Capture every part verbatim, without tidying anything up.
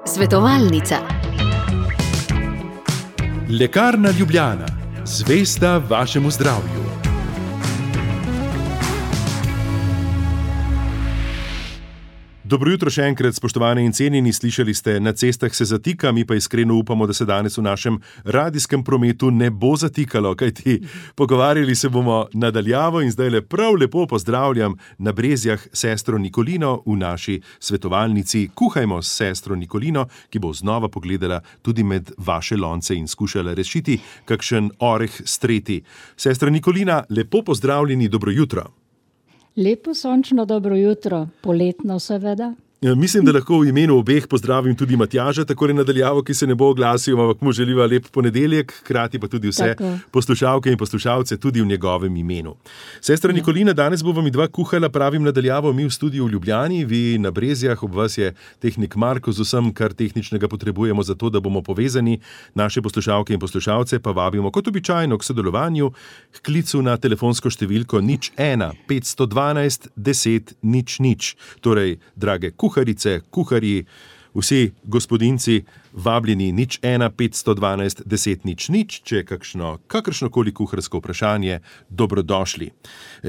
Svetovalnica. Lekarna Ljubljana, zvesta vašemu zdravju. Dobro jutro še enkrat, spoštovane in cenjeni, slišali ste, na cestah se zatika, mi pa iskreno upamo, da se danes v našem radijskem prometu ne bo zatikalo, kajti pogovarjali se bomo nadaljavo in zdaj le prav lepo pozdravljam na Brezjah sestro Nikolino v naši svetovalnici. Kuhajmo s sestro Nikolino, ki bo znova pogledala tudi med vaše lonce in skušala rešiti kakšen oreh streti. Sestra Nikolina, lepo pozdravljeni, dobro jutro. Lepo sončno dobro jutro, poletno seveda. Mislim, da lahko v imenu obeh pozdravim tudi Matjaža, takole nadaljavo, ki se ne bo oglasil, ampak mu želiva lep ponedeljek, hkrati pa tudi vse tako poslušalke in poslušalce tudi v njegovem imenu. Sestra ja. Nikolina, danes bova mi dva kuhala, pravim nadaljavo, mi v studiu v Ljubljani, vi na Brezjah, ob vas je tehnik Marko z vsem, kar tehničnega potrebujemo za to, da bomo povezani. Naše poslušalke in poslušalce pa vabimo kot običajno k sodelovanju, k klicu na telefonsko številko nič ena petsto dvanajst deset nič nič. Torej, drage kuhalice, kuharice, kuharji, vsi gospodinci vabljeni nič ena petsto dvanajst deset nič nič, če je kakšno, kakršnokoli kuharsko vprašanje, dobrodošli.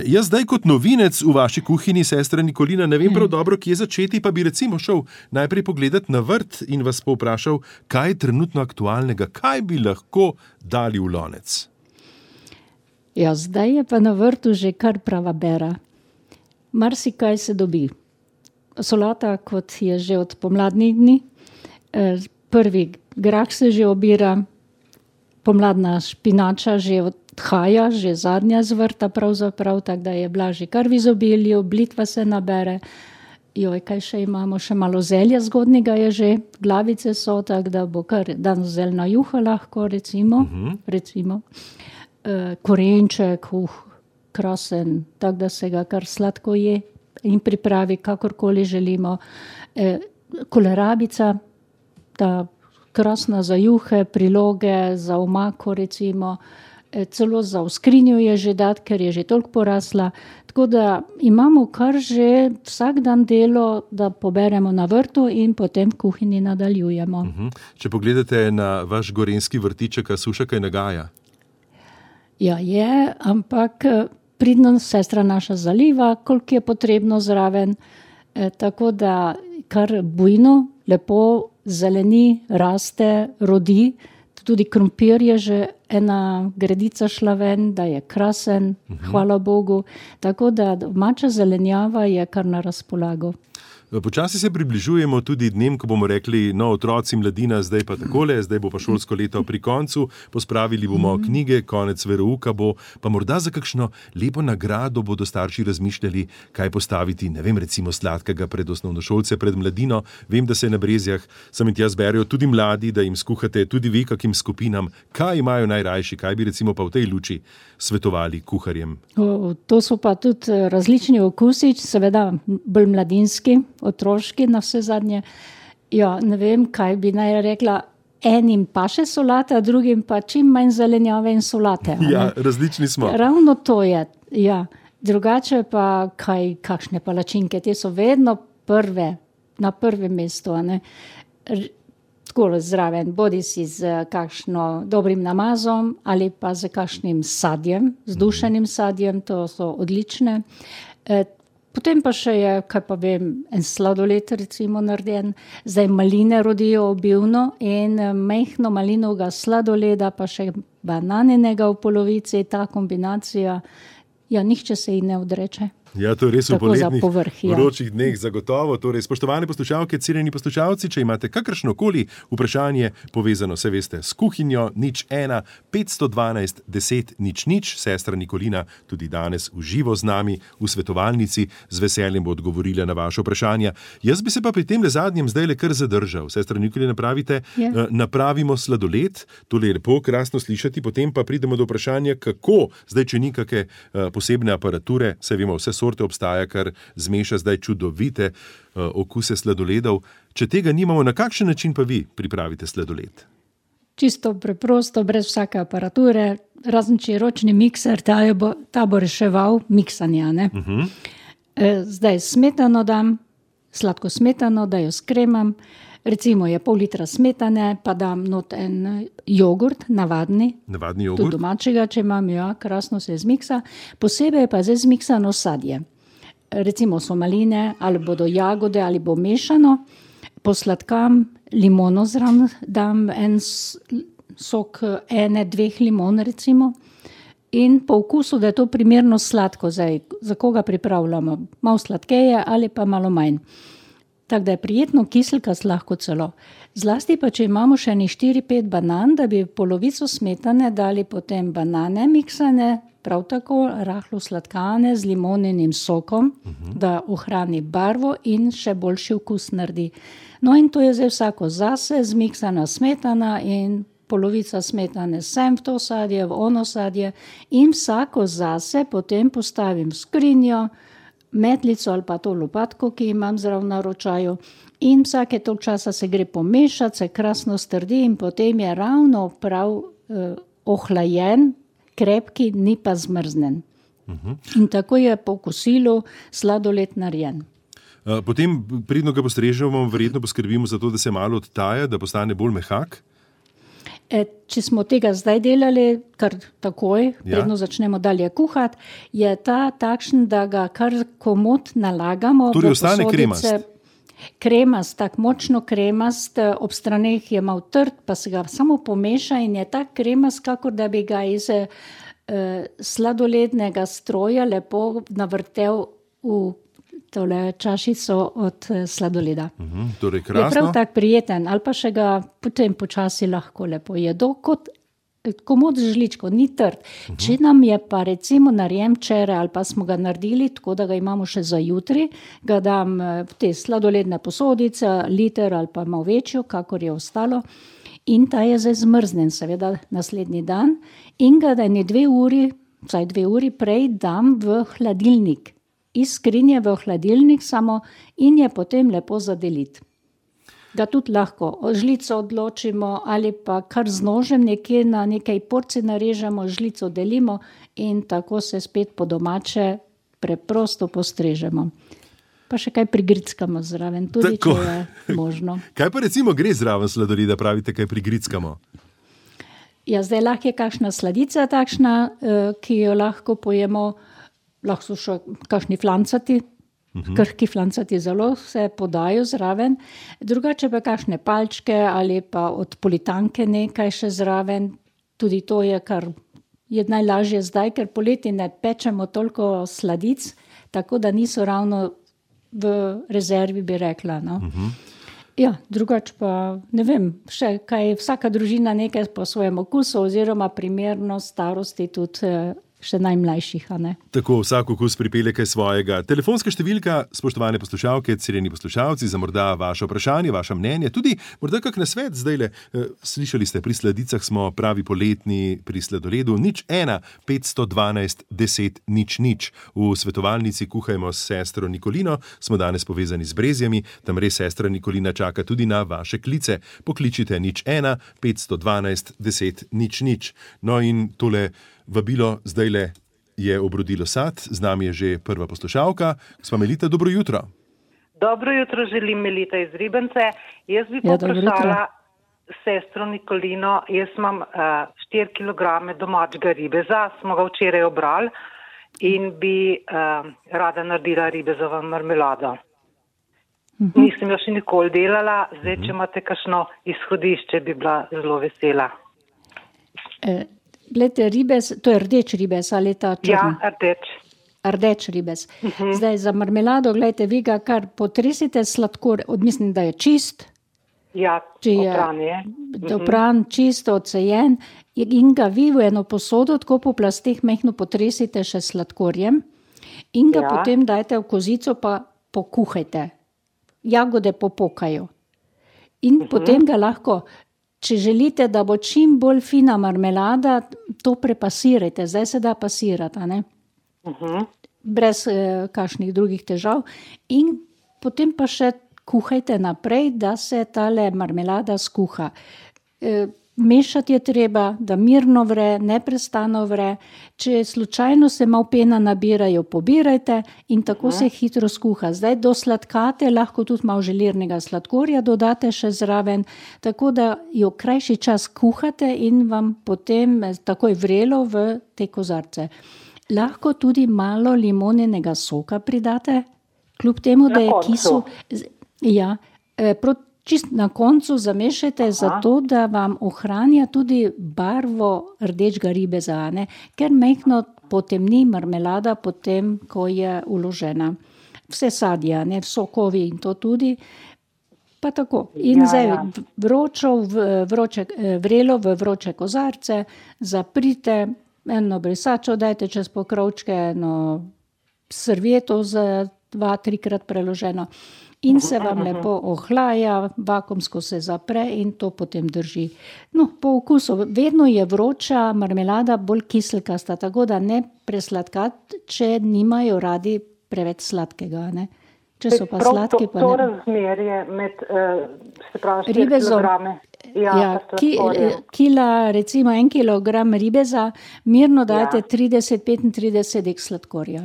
Jaz zdaj kot novinec v vaši kuhinji, sestra Nikolina, ne vem prav dobro, kje začeti, pa bi recimo šel najprej pogledat na vrt in vas povprašal, kaj je trenutno aktualnega, kaj bi lahko dali v lonec. Ja, zdaj je pa na vrtu že kar prava bera. Marsikaj se dobi. Solata, kot je že od pomladnih dni. Prvi grah se že obira, pomladna špinača že odhaja, že zadnja z vrta pravzaprav, tako da je bila že kar v izobilju, blitva se nabere. Joj, kaj še imamo, še malo zelja zgodnega je že, glavice so, tako da bo kar dan zeljna juha lahko, recimo. Uh-huh. recimo. Korenček, uh, krasen, tako da se ga kar sladko je in pripravi, kakorkoli želimo. E, kolerabica, ta krasna za juhe, priloge, za omako recimo, e, celo za v skrinjo je že dat, ker je že toliko porasla. Tako da imamo kar že vsak dan delo, da poberemo na vrtu in potem v kuhinji nadaljujemo. Uh-huh. Če pogledate na vaš gorenjski vrtiček, a suša kaj nagaja? Ja, je, ampak pridno sestra naša zaliva, koliko je potrebno zraven, e, tako da kar bujno, lepo zeleni, raste, rodi. Tudi krompir je že ena gredica šla ven, da je krasen, uh-huh. hvala Bogu. Tako da domača zelenjava je kar na razpolago. Počasi se približujemo tudi dnem, ko bomo rekli, no, otroci, mladina, zdaj pa takole, zdaj bo pa šolsko leto pri koncu, pospravili bomo mm. knjige, konec verouka bo, pa morda za kakšno lepo nagrado bodo starši razmišljali, kaj postaviti, ne vem, recimo sladkega pred osnovnošolce, pred mladino. Vem, da se na Brezjah sem in tja zberijo tudi mladi, da jim skuhate tudi vi kakim skupinam, kaj imajo najrajši, kaj bi recimo pa v tej luči svetovali kuharjem. O, to so pa tudi različni okusi, seveda bolj mladinski, otroški na vse zadnje. Ja, ne vem, kaj bi naj rekla, enim pa še solata, drugim pa čim manj zelenjave in solate. Ja, različni smo. Ravno to je, ja. Drugače pa kaj, kakšne palačinke, te so vedno prve, na prvem mestu, a ne. Tako zraven, bodi si z kakšno dobrim namazom ali pa z kakšnim sadjem, z dušenim sadjem, to so odlične. E, Potem pa še je, kaj pa vem, en sladoled recimo narejen. Zdaj maline rodijo obilno in mehno malinovega sladoleda, pa še bananinega v polovici, ta kombinacija, ja, nihče se ji ne odreče. Ja, to je res v poletnih povrh, ja. vročih dneh zagotovo. Torej, spoštovane poslušalke, cenjeni poslušalci, če imate kakršnokoli vprašanje povezano, se veste, s kuhinjo, nič ena petsto dvanajst deset nič nič, sestra Nikolina tudi danes v živo z nami v svetovalnici, z veseljem bo odgovorila na vaše vprašanja. Jaz bi se pa pri tem le zadnjem zdaj le kar zadržal. Sestra Nikolina, pravite, ja. napravimo sladoled, to je lepo, krasno slišati, potem pa pridemo do vprašanja, kako, zdaj če ni kakšne posebne aparature, se vemo, vse sorte obstaja, kar zmeša zdaj čudovite uh, okuse sladoledov. Če tega nimamo, na kakšen način pa vi pripravite sladoled? Čisto preprosto, brez vsake aparature, razen če je ročni mikser, ta, je bo, ta bo reševal miksanja. Ne? Uh-huh. E, zdaj smetano dam, sladko smetano, da jo skremam. Recimo je pol litra smetane, pa dam not en jogurt, navadni. Navadni jogurt? Tudi domačega, če imam, ja, krasno se zmiksa. Posebej pa zdaj zmiksano sadje. Recimo so maline, ali bodo jagode, ali bo mešano. Posladkam, limono zraven dam en sok ene, dveh limon recimo. In po okusu, da je to primerno sladko, zdaj, za koga pripravljamo. Malo sladkeje ali pa malo manj. Tako da je prijetno kiselkast lahko celo. Zlasti pa, če imamo še ene štiri, pet banan, da bi polovico smetane dali potem banane miksane, prav tako rahlo sladkane z limoninim sokom, uh-huh. da ohrani barvo in še boljši okus naredi. No in to je zdaj vsako zase, zmiksana smetana in polovica smetane sem v to sadje, v ono sadje in vsako zase potem postavim v skrinjo, metlico ali pa to lopatko, ki imam zraven na ročaju in vsake toliko časa se gre pomešati, se krasno strdi in potem je ravno prav eh, ohlajen, krepki, ni pa zmrznen. Uh-huh. In tako je po kosilu sladoled narejen. Potem, predno ga postrežemo, verjetno poskrbimo za to, da se malo odtaja, da postane bolj mehak? E, če smo tega zdaj delali, kar takoj, ja. predno začnemo dalje kuhati, je ta takšen, da ga kar komot nalagamo. Torej ostane kremast? Kremast, tako močno kremast, ob straneh je malo trd, pa se ga samo pomeša in je tak kremast, kakor da bi ga iz eh, sladolednega stroja lepo navrtel v tole čašico od sladoleda. Uhum, torej krasno. Je prav tak prijeten, ali pa še ga potem počasi lahko lepo jedo, kot komod žličko, ni trd. Uhum. Če nam je pa recimo narejen včeraj, ali pa smo ga naredili, tako da ga imamo še za jutri, ga dam v te sladoledne posodice, liter ali pa malo večjo, kakor je ostalo, in ta je zdaj zmrznen, seveda naslednji dan, in ga da ne dve uri, vsaj dve uri prej dam v hladilnik. Iz skrinje v hladilnik samo in je potem lepo zadeliti. Ga tudi lahko žlico odločimo ali pa kar z nožem nekje na nekaj porcij narežemo, žlico delimo in tako se spet po domače preprosto postrežemo. Pa še kaj prigrickamo zraven, tudi tako. Če je možno. Kaj pa recimo gre zraven sladoleda, pravite, kaj prigrickamo? Ja, zdaj lahko je kakšna sladica takšna, ki jo lahko pojemo. Lahko so še kakšni flancati, uh-huh. krhki flancati zelo se podajo zraven. Drugače pa kakšne palčke ali pa od politanke nekaj še zraven. Tudi to je, kar je najlažje zdaj, ker poleti ne pečemo toliko sladic, tako da niso ravno v rezervi, bi rekla. No? Uh-huh. Ja, drugače pa ne vem, še kaj, vsaka družina nekaj po svojem okusu oziroma primerno starosti tudi še najmlajših, a ne? Tako, vsak okus pripelje kaj svojega. Telefonska številka, spoštovane poslušalke, cenjeni poslušalci, za morda vaše vprašanje, vaše mnenje, tudi morda kak nasvet zdajle. Slišali ste, pri sladicah smo pravi poletni, pri sladoledu nič ena, petsto dvanajst, deset, nič, nič. V svetovalnici Kuhajmo s sestro Nikolino, smo danes povezani z Brezjami, tam res sestra Nikolina čaka tudi na vaše klice. Pokličite nič ena, petsto dvanajst, deset, nič, nič. No in tole vabilo zdajle je obrodilo sad, z nami je že prva poslušalka. Gospa Melita, dobro jutro. Dobro jutro, želim Melita iz Ribence. Jaz bi ja, poprašala sestro Nikolino, jaz imam uh, štiri kilograme domačega ribeza, smo ga včeraj obrali in bi uh, rada naredila ribezovo marmelado. Uh-huh. Nisem jo še nikoli delala, zdaj, uh-huh. če imate kakšno izhodišče, bi bila zelo vesela. E- Glede, ribez, to je rdeč ribez ali ta črn? Ja, rdeč. Rdeč ribez. Uh-huh. Zdaj za marmelado, gledajte, vi ga kar potresite sladkor, odmislim, da je čist. Ja, opran je. Opran, uh-huh. čisto, odcejen in ga vi v eno posodo, tako po plasteh mehno potresite še sladkorjem in ga ja. potem dajte v kozico pa pokuhajte. Jagode popokajo. In uh-huh. potem ga lahko... Če želite, da bo čim bolj fina marmelada, to prepasirajte. Zdaj se da pasirati, a ne? Uh-huh. Brez eh, kakšnih drugih težav. In potem pa še kuhajte naprej, da se tale marmelada skuha. E, mešati je treba, da mirno vre, neprestano vre. Če slučajno se malo pena nabirajo, pobirajte in tako se hitro skuha. Zdaj do sladkate lahko tudi malo želirnega sladkorja dodate še zraven, tako da jo krajši čas kuhate in vam potem takoj vrelo v te kozarce. Lahko tudi malo limoninega soka pridate, kljub temu, da je kisu. Ja, proti Čist na koncu zamešajte zato, da vam ohranja tudi barvo rdečega ribeza, ne? Ker majhno potemni marmelada potem, ko je uložena. Vse sadja, ne, sokovi in to tudi. Pa tako. In ja, zdaj ja. Vročo, vroče, vrelo v vroče kozarce, zaprite, eno brisačo dajte čez pokrovčke, eno servieto za dva, trikrat preloženo. In se vam lepo ohlaja, vakuumsko se zapre in to potem drži. No, po okusu, vedno je vroča marmelada bolj kiselkasta, tako da ne presladkati, če nimajo radi preveč sladkega, ne. Če so pa sladke, pa ne. To razmerje med, se pravi, štiri kilograme. Ja, ja ki, kila, recimo en kilogram ribeza, mirno dajte ja. trideset do petintrideset dek sladkorja.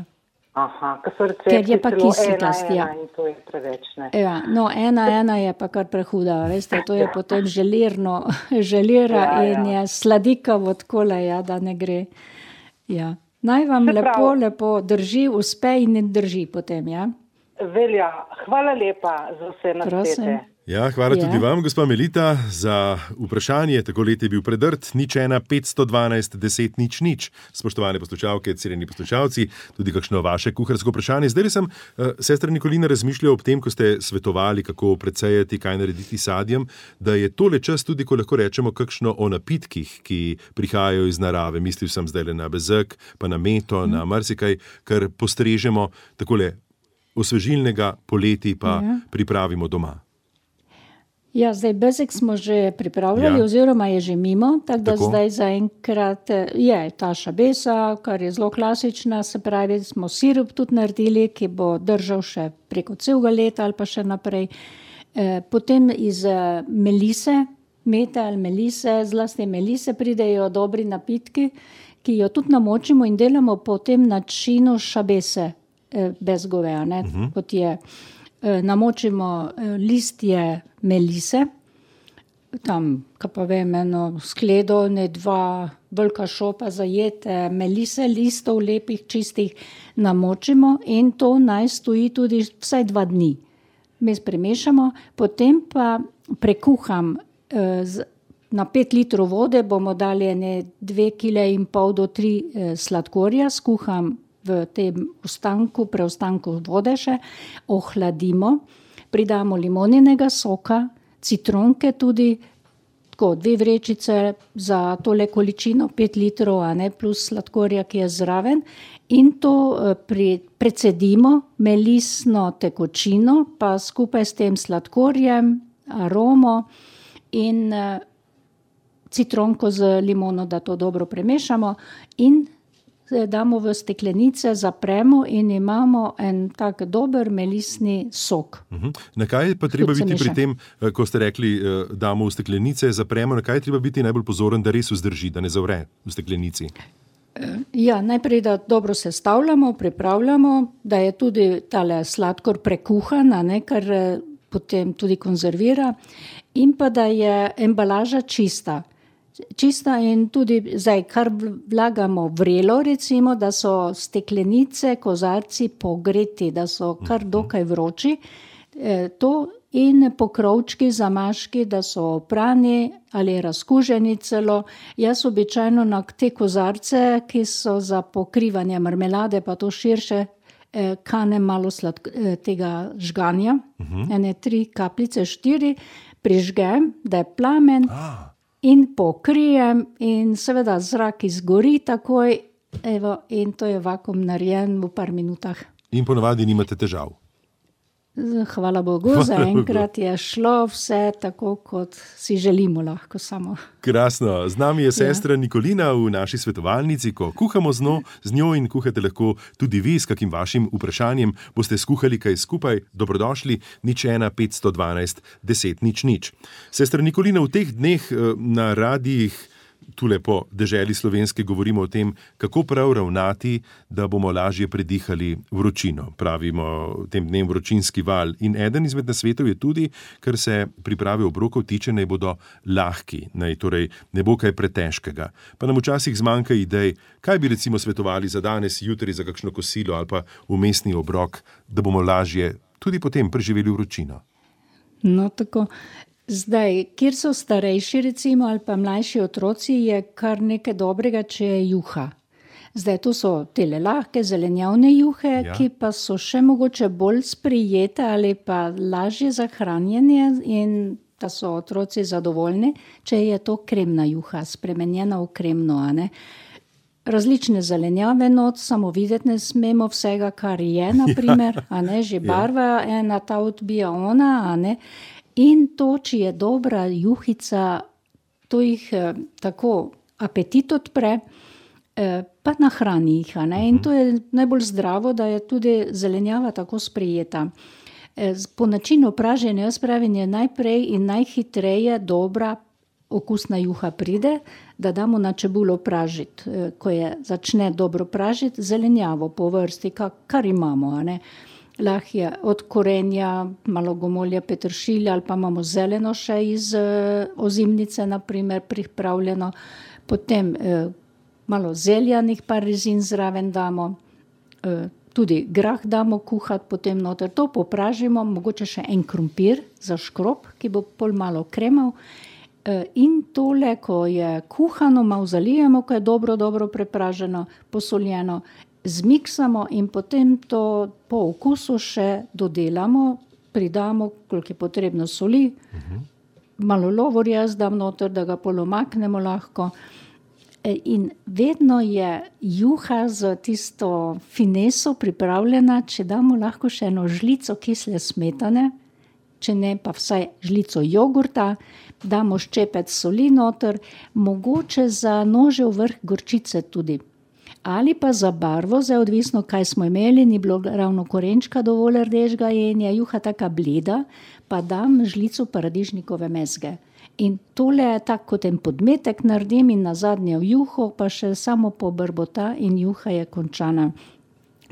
Aha, ker so recepti celo ena, ena in to je preveč, ne? Ja, no, ena, ena je pa kar prehuda, veste, to je potem želirno, želira ja, ja. in je sladikavo takole, ja, da ne gre. Ja. Naj vam lepo, lepo drži, uspe in ne drži potem, ja? Velja, hvala lepa za vse nasvete. Ja, hvala ja. tudi vam, gospa Melita, za vprašanje. Tako let je bil predrt, nič ena, petsto dvanajst, deset, nič, nič. Spoštovane poslušalke, cenjeni poslušalci, tudi kakšno vaše kuharsko vprašanje. Zdaj sem, uh, sestra Nikolina, razmišljal ob tem, ko ste svetovali, kako precejati, kaj narediti sadjem, da je tole čas tudi, ko lahko rečemo kakšno o napitkih, ki prihajajo iz narave. Mislil sem zdaj na bezeg, pa na meto, mm. na marsikaj, kar postrežemo takole osvežilnega poleti, pa ja. pripravimo doma. Ja, zdaj bezeg smo že pripravljali, ja. oziroma je že mimo, tako da tako. Zdaj zaenkrat je ta šabesa, kar je zelo klasična, se pravi, smo sirup tudi naredili, ki bo držal še preko celega leta ali pa še naprej. E, potem iz melise, mete ali melise, zlasti melise pridejo dobri napitki, ki jo tudi namočimo in delamo po tem načinu šabese e, bezgove, ne, uh-huh. kot je. Namočimo listje melise, tam, kaj pa vem, eno skledo, ne dva velika šopa zajete melise, listov lepih, čistih, namočimo in to naj stoji tudi vsaj dva dni. Mi premešamo, potem pa prekuham na pet litrov vode, bomo dali ene dve kile in pol do tri sladkorja, skuham v tem ostanku, preostanku vode še, ohladimo, pridamo limoninega soka, citronke tudi, tako dve vrečice za tole količino, pet litrov, a ne, plus sladkorja, ki je zraven, in to pri, precedimo melisno tekočino, pa skupaj s tem sladkorjem, aromo in uh, citronko z limono, da to dobro premešamo in damo v steklenice, zapremo in imamo en tak dober melisni sok. Uh-huh. Na kaj pa treba biti pri tem, ko ste rekli, damo v steklenice, zapremo, na kaj treba biti najbolj pozoren, da res vzdrži, da ne zavre v steklenici? Ja, najprej, da dobro sestavljamo, pripravljamo, da je tudi tale sladkor prekuhan, ne, kar potem tudi konzervira, in pa da je embalaža čista. Čista in tudi zdaj, kar vlagamo vrelo, recimo, da so steklenice, kozarci pogreti, da so kar dokaj vroči, e, to in pokrovčki, zamaški, da so oprani ali razkuženi celo. Jaz običajno na te kozarce, ki so za pokrivanje marmelade, pa to širše, e, kanem malo sladk- e, tega žganja, uh-huh. ene tri kapljice, štiri, prižgem, da je plamen, ah. in pokrijem in seveda zrak izgori takoj, evo, in to je vakuum narejen v par minutah. In ponavadi nimate težav? Hvala Bogu, zaenkrat je šlo vse tako, kot si želimo lahko samo. Krasno. Z nami je sestra ja. Nikolina v naši svetovalnici, ko kuhamo z njo, z njo in kuhate lahko tudi vi s kakim vašim vprašanjem. Boste skuhali kaj skupaj? Dobrodošli, nič ena petsto dvanajst deset nič nič. Sestra Nikolina, v teh dneh na radijih tule po deželi slovenske govorimo o tem, kako prav ravnati, da bomo lažje predihali vročino. Pravimo tem dnem vročinski val. In eden izmed nasvetov je tudi, ker se priprave obrokov tiče, naj bodo lahki, naj torej ne bo kaj pretežkega. Pa nam včasih zmanjka idej, kaj bi recimo svetovali za danes, jutri za kakšno kosilo ali pa vmesni obrok, da bomo lažje tudi potem preživeli vročino. No, tako. Zdaj, kjer so starejši recimo ali pa mlajši otroci, je kar nekaj dobrega, če je juha. Zdaj, to so tele lahke zelenjavne juhe, ja. Ki pa so še mogoče bolj sprijete ali pa lažje za hranjenje in da so otroci zadovoljni, če je to kremna juha, spremenjena v kremno, a ne. Različne zelenjave not, samo videti ne smemo vsega, kar je, na primer, a ne, že barva ena ta odbija ona, a ne. In to, če je dobra juhica, to jih eh, tako apetit odpre, eh, pa nahrani jih. Ne? In to je najbolj zdravo, da je tudi zelenjava tako sprijeta. Eh, po načinu praženja, jaz pravim, je najprej in najhitreje dobra okusna juha pride, da damo na čebulo pražiti. Eh, ko je začne dobro pražiti, zelenjavo po vrsti, kar, kar imamo, a ne. Lahko je od korenja, malo gomolja, peteršilja ali pa imamo zeleno še iz uh, ozimnice, na primer, pripravljeno. Potem uh, malo zeljanih par rezin zraven damo, uh, tudi grah damo kuhati, potem noter to popražimo, mogoče še en krompir za škrob, ki bo pol malo kremal. Uh, in tole, ko je kuhano, malo zalijemo, ko je dobro, dobro prepraženo, posoljeno, zmiksamo in potem to po okusu še dodelamo, pridamo, koliko je potrebno soli, uh-huh. malo lovorja zdam noter, da ga polomaknemo lahko. In vedno je juha z tisto fineso pripravljena, če damo lahko še eno žlico kisle smetane, če ne pa vsaj žlico jogurta, damo ščepec soli noter, mogoče za nožev vrh gorčice tudi. Ali pa za barvo, zdaj odvisno, kaj smo imeli, ni bilo ravno korenčka dovolj rdečega in je juha taka bleda, pa dam žlico paradižnikove mezge. In tole je tak, kot en podmetek naredim in na zadnje v juho, pa še samo pobrbota in juha je končana.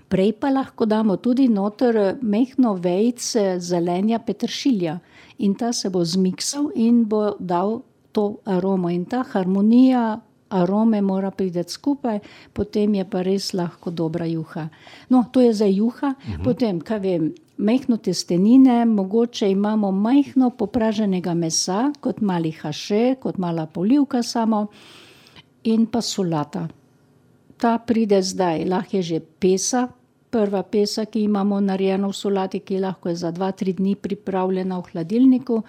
Prej pa lahko damo tudi noter mehno vejice zelenja peteršilja in ta se bo zmiksal in bo dal to aromo in ta harmonija arome mora priti skupaj, potem je pa res lahko dobra juha. No, to je za juha, uh-huh. Potem, kaj vem, mehno testenine, mogoče imamo majhno popraženega mesa, kot mali haše, kot mala polivka samo, in pa solata. Ta pride zdaj, lahko je že pesa, prva pesa, ki imamo narejeno v solati, ki lahko je za dva, tri dni pripravljena v hladilniku,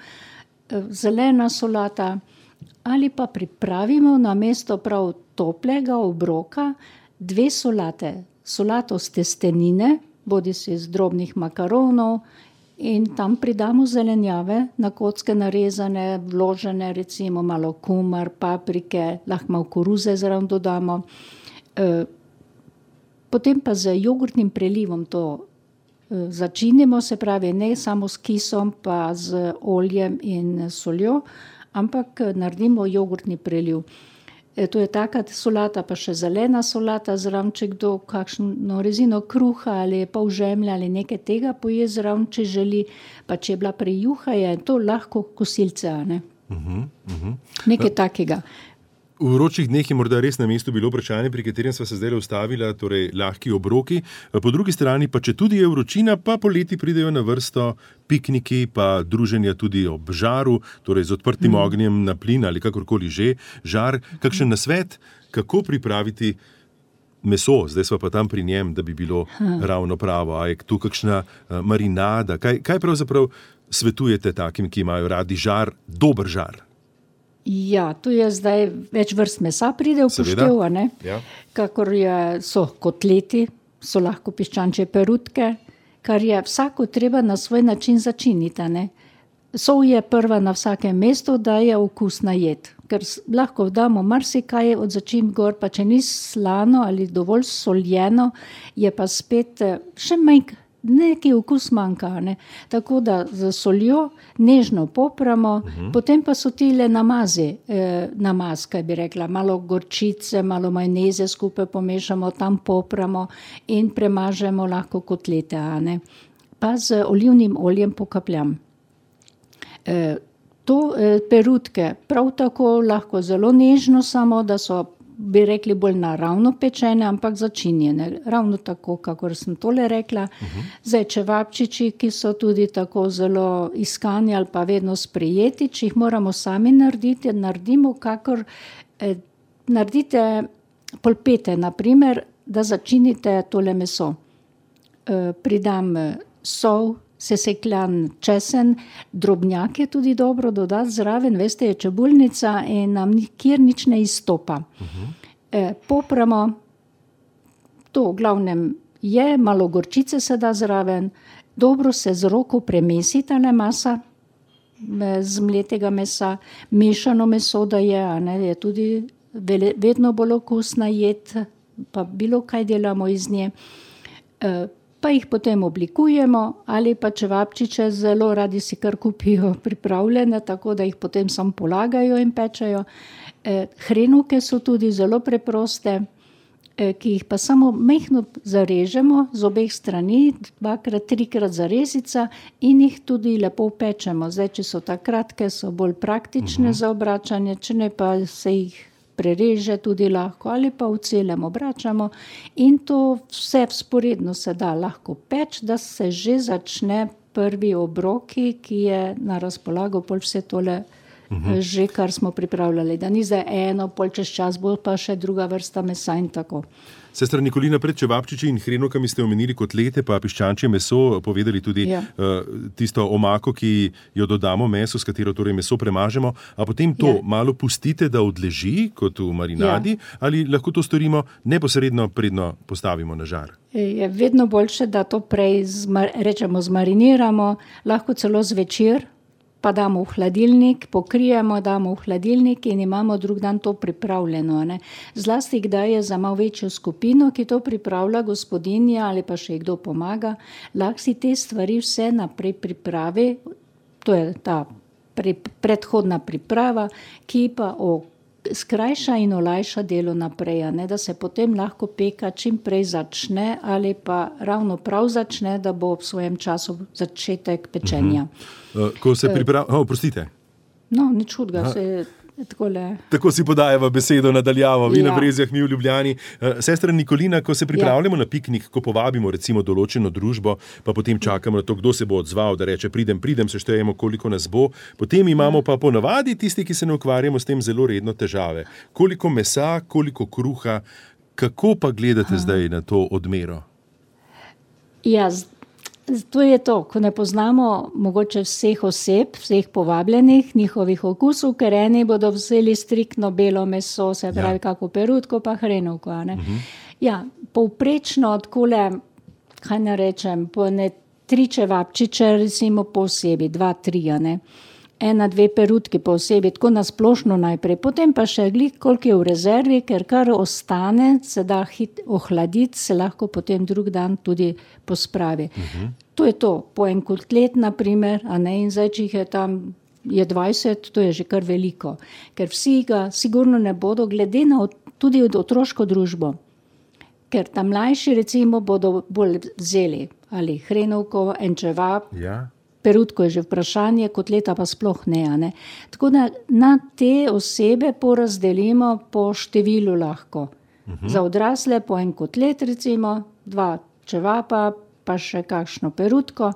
zelena solata, ali pa pripravimo na mesto prav toplega obroka dve solate. Solato s testenine, bodi si z drobnih makaronov in tam pridamo zelenjave, na kocke narezane, vložene, recimo malo kumar, paprike, lahko malo koruze zraven dodamo. E, potem pa z jogurtnim prelivom to e, začinimo, se pravi ne samo s kisom, pa z oljem in soljo, ampak naredimo jogurtni preliv. E, to je taka solata, pa še zelena solata, zraven, če kdo kakšno rezino kruha ali pol žemlje ali nekaj tega poje zraven, če želi, pa če je bila prej juha, je to lahko kosilce, ne? Uh-huh, uh-huh. Nekaj takega. V vročih dneh je morda res na mestu bilo vprašanje, pri katerem sva se zdaj ustavila, torej lahki obroki. Po drugi strani pa, če tudi je vročina, pa poleti pridejo na vrsto pikniki, pa druženja tudi ob žaru, torej z odprtim mm. ognjem na plin ali kakorkoli že, žar. Kakšen nasvet, kako pripraviti meso, zdaj sva pa tam pri njem, da bi bilo ha. ravno pravo. A je tu kakšna marinada? Kaj, kaj pravzaprav svetujete takim, ki imajo radi žar, dober žar? Ja, tu je zdaj več vrst mesa pride v poštev, a ne? Ja. Kakor je, so kotleti, so lahko piščančje perutke, kar je vsako treba na svoj način začiniti. Ne? Sol je prva na vsakem mestu, da je okusna jed, ker lahko damo marsikaj od začimb gor, pa če ni slano ali dovolj soljeno, je pa spet še manj, neki okus manjka. Ne? Tako da z soljo nežno popramo, uh-huh. potem pa so tile namazi, eh, namaz, kaj bi rekla, malo gorčice, malo majoneze skupaj pomešamo, tam popramo in premažemo lahko kotlete, a ne? Pa z olivnim oljem pokapljam. Eh, to eh, perutke prav tako lahko zelo nežno, samo da so, bi rekli, bolj naravno pečene, ampak začinjene. Ravno tako, kakor sem tole rekla. Uh-huh. Zdaj, čevapčiči, ki so tudi tako zelo iskani ali pa vedno sprejeti, če jih moramo sami narediti, naredimo kakor, eh, naredite polpete, naprimer, da začinite tole meso. Eh, pridam sol, sesekljan česen, drobnjak je tudi dobro dodati zraven, veste, je čebulnica in nam nikjer nič ne izstopa. Uh-huh. E, popramo, to v glavnem je, malo gorčice se da zraven, dobro se z roko premesi tale masa z mletega mesa, mešano meso da je, a ne, je tudi vedno bolj okusna jed, pa bilo kaj delamo iz nje. E, pa jih potem oblikujemo ali pa čevapčiče zelo radi si kar kupijo pripravljene, tako da jih potem samo polagajo in pečejo. E, hrenovke so tudi zelo preproste, e, ki jih pa samo majhno zarežemo z obeh strani, dvakrat, trikrat zarezica in jih tudi lepo pečemo. Zdaj, če so ta kratke, so bolj praktične uh-huh. za obračanje, če ne pa se jih prereže tudi lahko ali pa v celem obračamo in to vse vzporedno se da lahko peč, da se že začne prvi obroki, ki je na razpolago pol vse tole uh-huh. že, kar smo pripravljali. Da ni zdaj eno, pol čez čas bo pa še druga vrsta mesa in tako. Sestra Nikolina, pred čevapčiči in hrenovkami ste omenili kotlete, pa piščančje meso, povedali tudi ja. uh, tisto omako, ki jo dodamo meso, s katero torej meso premažemo, a potem to ja. malo pustite, da odleži, kot v marinadi, ja. ali lahko to storimo neposredno, predno postavimo na žar? Je vedno boljše, da to prej zmar, rečemo zmariniramo, lahko celo zvečer, pa damo v hladilnik, pokrijemo, damo v hladilnik in imamo drug dan to pripravljeno. Ne? Zlasti kdaj je za malo večjo skupino, ki to pripravlja, gospodinja ali pa še kdo pomaga, lahko si te stvari vse naprej pripravi, to je ta pre, predhodna priprava, ki pa o skrajša in olajša delo naprej, ne? Da se potem lahko peka čim prej začne ali pa ravno prav začne, da bo ob svojem času začetek pečenja. Uh-huh. Ko se pripravlja, oh, prostite. No, nič hudega, se takole. Tako si podajava besedo nadaljavo, vi ja. na Brezjah, mi v Ljubljani. Sestra Nikolina, ko se pripravljamo ja. na piknik, ko povabimo recimo določeno družbo, pa potem čakamo na to, kdo se bo odzval, da reče pridem, pridem, seštejemo, koliko nas bo. Potem imamo pa ponavadi tisti, ki se ne ukvarjamo s tem, zelo redno težave. Koliko mesa, koliko kruha, kako pa gledate Aha. zdaj na to odmero? Ja, to je to, ko ne poznamo mogoče vseh oseb, vseh povabljenih, njihovih okusov, ker eni bodo vzeli striktno belo meso, se pravi ja. kako perutko, pa hrenovko. Uh-huh. Ja, povprečno odkole, kaj ne rečem, po ne tri čevapčiče, recimo po osebi, dva, tri, ne. Ena, dve perutki po osebi, tako nasplošno najprej, potem pa še glik, koliko je v rezervi, ker kar ostane, se da hit ohladiti, se lahko potem drug dan tudi pospravi. Uh-huh. To je to, po en kotlet, naprimer, a ne, in zdaj, če jih je tam je dvajset, to je že kar veliko, ker vsi ga sigurno ne bodo, glede na tudi od otroško družbo, ker tam mlajši, recimo, bodo bolj vzeli, ali hrenovko, en čevap, ja. perutko je že vprašanje, kotleta pa sploh ne, ne. Tako da na te osebe porazdelimo po številu lahko. Uh-huh. Za odrasle po en kotlet, recimo, dva čevapa, pa še kakšno perutko,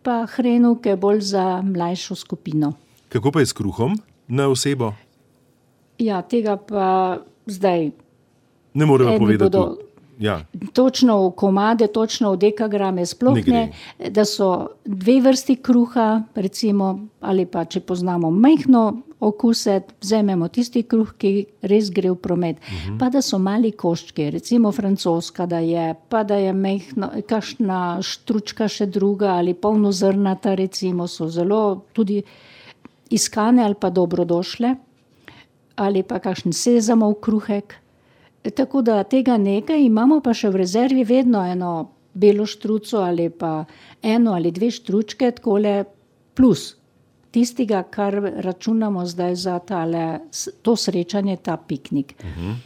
pa hrenovke bolj za mlajšo skupino. Kako pa je s kruhom na osebo? Ja, tega pa zdaj ne moremo povedati. Bodo, Ja. Točno v komade, točno v dekagrame, sploh ne, ne, da so dve vrsti kruha, recimo, ali pa če poznamo majhno okuse, vzamemo tisti kruh, ki res gre v promet. Uh-huh. Pa da so mali koščki, recimo francoska, da je, pa da je majhno, kakšna štručka še druga ali polnozrnata, recimo, so zelo tudi iskane ali pa dobrodošle, ali pa kakšen sezamov kruhek. Tako da tega nekaj imamo, pa še v rezervi vedno eno belo štruco ali pa eno ali dve štručke, takole plus tistega, kar računamo zdaj za tale, to srečanje, ta piknik. Uh-huh.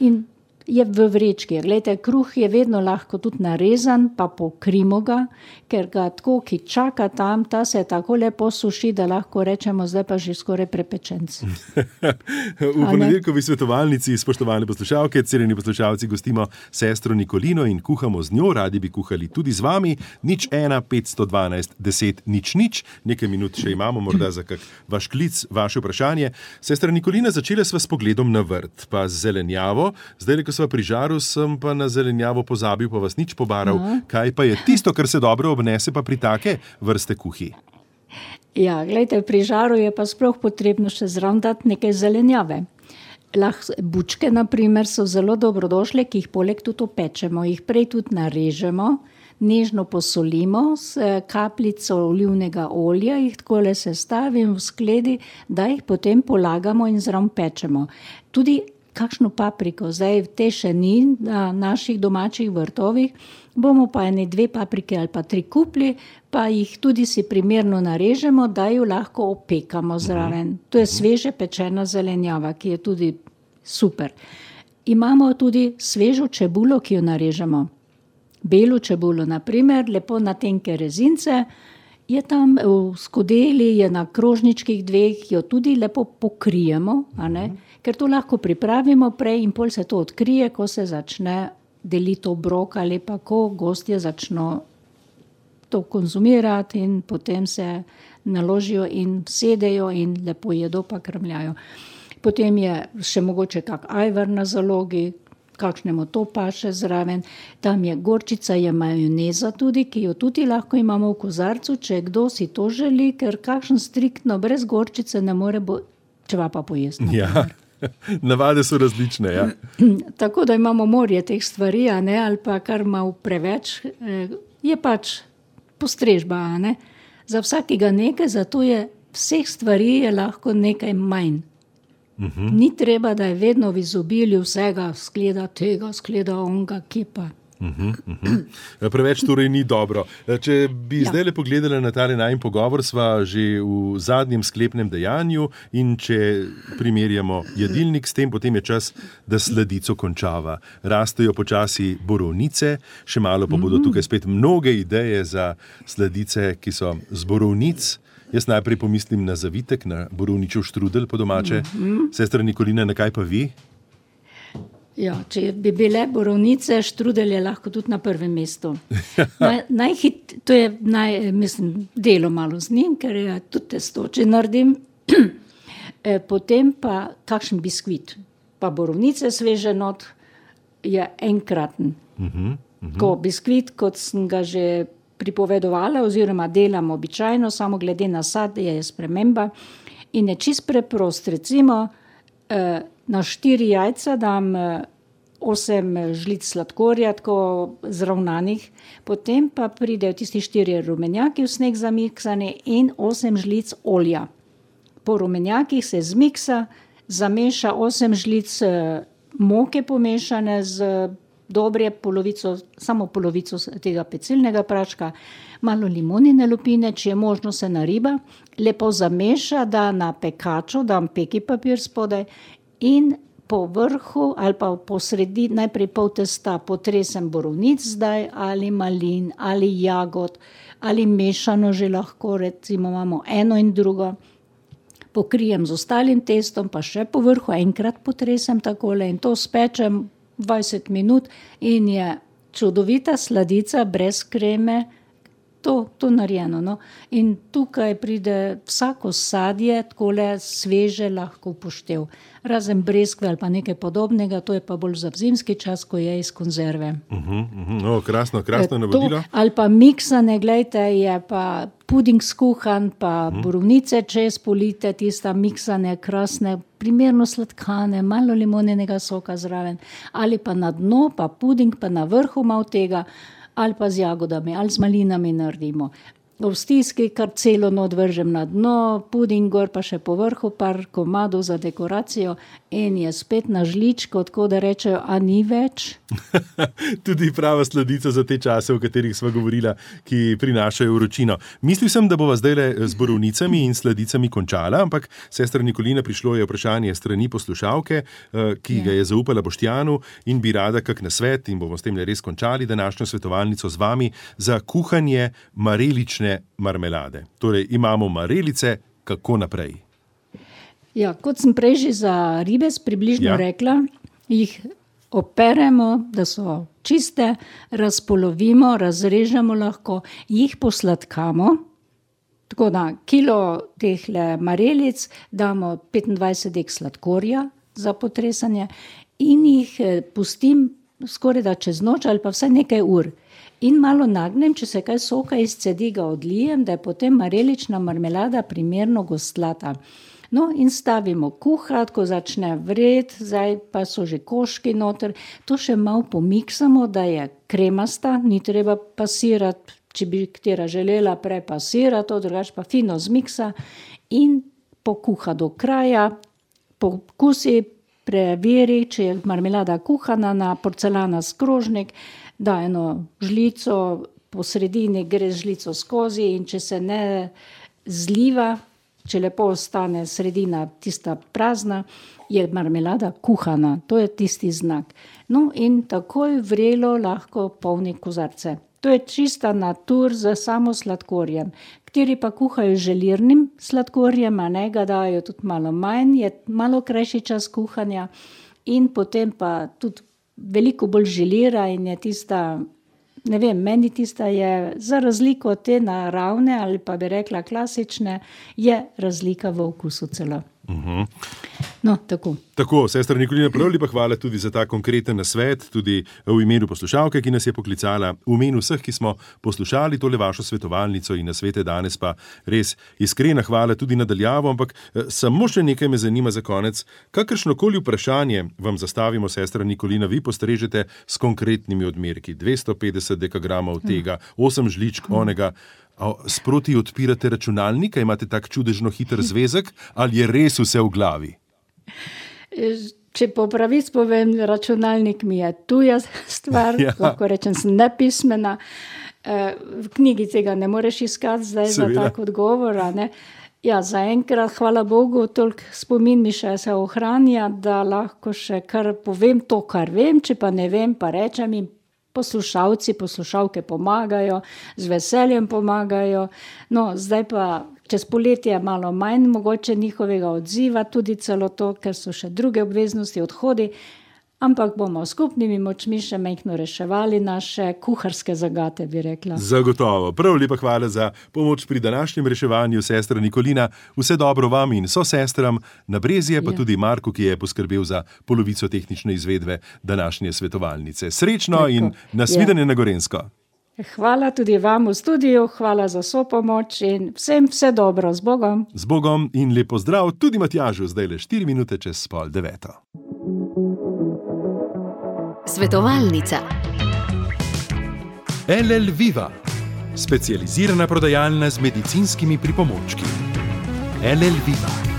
In je v vrečki. Glejte, kruh je vedno lahko tudi narezan, pa pokrimo ga, ker ga tako, ki čaka tam, ta se tako lepo suši, da lahko rečemo, zdaj pa že skoraj prepečenc. V ponedeljkovi svetovalnici, spoštovane poslušalke, cenjeni poslušalci, gostimo sestro Nikolino in kuhamo z njo, radi bi kuhali tudi z vami. Nič ena, petsto dvanajst, deset, nič, nič. Nekaj minut še imamo, morda za kak vaš klic, vaše vprašanje. Sestra Nikolina, začela sva s pogledom na vrt, pa z zelenjavo. Zdaj, ko sva pri žaru, sem pa na zelenjavo pozabil, pa vas nič pobaral. No. Kaj pa je tisto, kar se dobro obnese pa pri take vrste kuhi? Ja, gledajte, pri žaru je pa sploh potrebno še zraven dati nekaj zelenjave. Lahko bučke, na primer, so zelo dobrodošle, ki jih poleg tudi opečemo. Jih prej tudi narežemo, nežno posolimo s kapljico olivnega olja, jih takole sestavim v skledi, da jih potem polagamo in zraven pečemo. Tudi kakšno papriko, zdaj te še ni na naših domačih vrtovih, bomo pa ene dve paprike ali pa tri kupli, pa jih tudi si primerno narežemo, da jo lahko opekamo zraven. To je sveže pečena zelenjava, ki je tudi super. Imamo tudi svežo čebulo, ki jo narežemo. Belo čebulo, na primer, lepo na tenke rezince, je tam v skodeli, je na krožničkih dveh, jo tudi lepo pokrijemo, a ne? Ker to lahko pripravimo prej in pol se to odkrije, ko se začne deliti obrok ali pa ko gostje začno to konzumirati in potem se naložijo in sedejo in lepo jedo pa krmljajo. Potem je še mogoče kak ajvar na zalogi, kakšnemu to paše zraven. Tam je gorčica, je majoneza tudi, ki jo tudi lahko imamo v kozarcu, če kdo si to želi, ker kakšen striktno brez gorčice ne more bo čevapa pojesti. Ja. Navade so različne, ja. Tako da imamo morje teh stvari, a ne, ali pa kar malo preveč, je pač postrežba, a ne. Za vsakega nekaj, zato je vseh stvari je lahko nekaj manj. Uh-huh. Ni treba, da je vedno v izobilju vsega, skleda tega, skleda onga, kipa. Uh-huh, uh-huh. Preveč torej ni dobro. Če bi ja. zdaj le pogledali na tale najin pogovor, sva že v zadnjem sklepnem dejanju in če primerjamo jedilnik s tem, potem je čas, da sladico končava. Rastejo počasi borovnice, še malo pa bodo tukaj spet mnoge ideje za sladice, ki so z borovnic. Jaz najprej pomislim na zavitek, na borovničev štrudel po domače. Uh-huh. Sestra Nikolina, na kaj pa vi? Ja, če bi bile borovnice, štrudel je lahko tudi na prvem mestu. Naj, najhit, to je naj, mislim, delo malo z njim, ker je tudi testo, če naredim. Potem pa kakšen biskvit. Pa borovnice sveže not je enkraten. Uh-huh, uh-huh. Ko biskvit, kot sem ga že pripovedovala, oziroma delam običajno, samo glede na sad je sprememba in je čist preprost. Recimo, eh, na štiri jajca dam osem žlic sladkorja, tako zravnanih, potem pa pridejo tisti štiri rumenjaki v sneg zamiksani in osem žlic olja. Po rumenjakih se zmiksa, zameša osem žlic moke pomešane z dobre polovico, samo polovico tega pecilnega praška, malo limonine lupine, če je možno se nariba, lepo zameša, da na pekaču, dam peki papir spodaj, in po vrhu ali pa po sredi, najprej pol testa potresem borovnic zdaj, ali malin, ali jagod, ali mešano že lahko, recimo imamo eno in drugo. Pokrijem z ostalim testom, pa še po vrhu enkrat potresem takole in to spečem dvajset minut in je čudovita sladica brez kreme, To, to narejeno. No. In tukaj pride vsako sadje, takole sveže lahko upoštev. Razen breskve ali pa nekaj podobnega, to je pa bolj za zimski čas, ko je iz konzerve. Uh-huh, uh-huh. No, krasno, krasno navodilo. Ali pa miksane, gledajte, je pa puding skuhan, pa uh-huh. borovnice čez polite, tista miksane, krasne, primerno sladkane, malo limonenega soka zraven. Ali pa na dno, pa puding, pa na vrhu malo tega, ali pa z jagodami, ali z malinami naredimo. V stiski kar celo not vržem na dno, puding gor pa še po vrhu, par komadov za dekoracijo in je spet na žličko, tako da rečejo, a ni več. Tudi prava sladica za te čase, o katerih sva govorila, ki prinašajo vročino. Mislil sem, da bova zdajle z borovnicami in sladicami končala, ampak sestra Nikolina, prišlo je vprašanje strani poslušalke, ki ga je zaupala Boštjanu in bi rada kak nasvet, in bomo s tem res končali današnjo svetovalnico z vami, za kuhanje marelične marmelade. Torej, imamo marelice, kako naprej? Ja, kot sem prej že za ribez približno ja. rekla, jih operemo, da so čiste, razpolovimo, razrežemo lahko, jih posladkamo, tako da kilo tehle marelic damo petindvajset dek sladkorja za potresanje in jih pustim skoraj da čez noč ali pa vsaj nekaj ur. In malo nagnem, če se kaj soka izcedi, ga odlijem, da je potem marelična marmelada primerno gostlata. No, in stavimo kuhat, ko začne vret, zdaj pa so že koški noter. To še malo pomiksamo, da je kremasta, ni treba pasirati, če bi katera želela prepasirati, to drugače pa fino zmiksa in pokuha do kraja, pokusi, preveri, če je marmelada kuhana na porcelana skrožnik, da eno žlico po sredini gre žlico skozi in če se ne zliva, če lepo ostane sredina tista prazna, je marmelada kuhana. To je tisti znak. No in takoj vrelo lahko polni kozarce. To je čista natur za samo sladkorjem. Kateri pa kuhajo želirnim sladkorjem, a ne ga dajo tudi malo manj, je malo krajši čas kuhanja in potem pa tudi veliko bolj želira in je tista, ne vem, meni tista je za razliko od te naravne ali pa bi rekla klasične, je razlika v okusu celo. Uh-huh. No, tako. Tako, sestra Nikolina, prav lepa hvala tudi za ta konkreten nasvet, tudi v imenu poslušalke, ki nas je poklicala, v imenu vseh, ki smo poslušali tole vašo svetovalnico in nasvete danes, pa res iskrena hvala tudi nadaljavo, ampak samo še nekaj me zanima za konec. Kakršnokoli vprašanje vam zastavimo, sestra Nikolina, vi postrežete s konkretnimi odmerki, dvesto petdeset dekagramov tega, osem žličk onega. Sproti odpirate računalnika, imate tak čudežno hiter zvezek, ali je res vse v glavi? Če po pravici povem, računalnik mi je tuja stvar, ja. Lahko rečem, sem nepismena. V knjigi tega ne moreš iskati zdaj Seveda. Za tak odgovor. Ne? Ja, zaenkrat, hvala Bogu, toliko spomin mi še se ohranja, da lahko še kar povem to, kar vem, če pa ne vem, pa rečem jim, poslušalci, poslušalke pomagajo, z veseljem pomagajo. No, zdaj pa čez poletje malo manj mogoče njihovega odziva, tudi celo to, ker so še druge obveznosti, odhodi, ampak bomo skupnimi močmi še majhno reševali naše kuharske zagate, bi rekla. Zagotovo. Prav lepa hvala za pomoč pri današnjem reševanju, sestra Nikolina. Vse dobro vam in so sestram na Brezje, pa ja. Tudi Marku, ki je poskrbel za polovico tehnične izvedbe današnje svetovalnice. Srečno Tako. In nasvidenje ja. Na Gorenjsko. Hvala tudi vam v studiu, hvala za sopomoč in vsem vse dobro. Z Bogom. Z Bogom in lepo zdrav tudi Matjažu, zdaj le štiri minute čez pol deveto. Svetovalnica. L L Viva, specializirana prodajalna z medicinskimi pripomočki. L L Viva.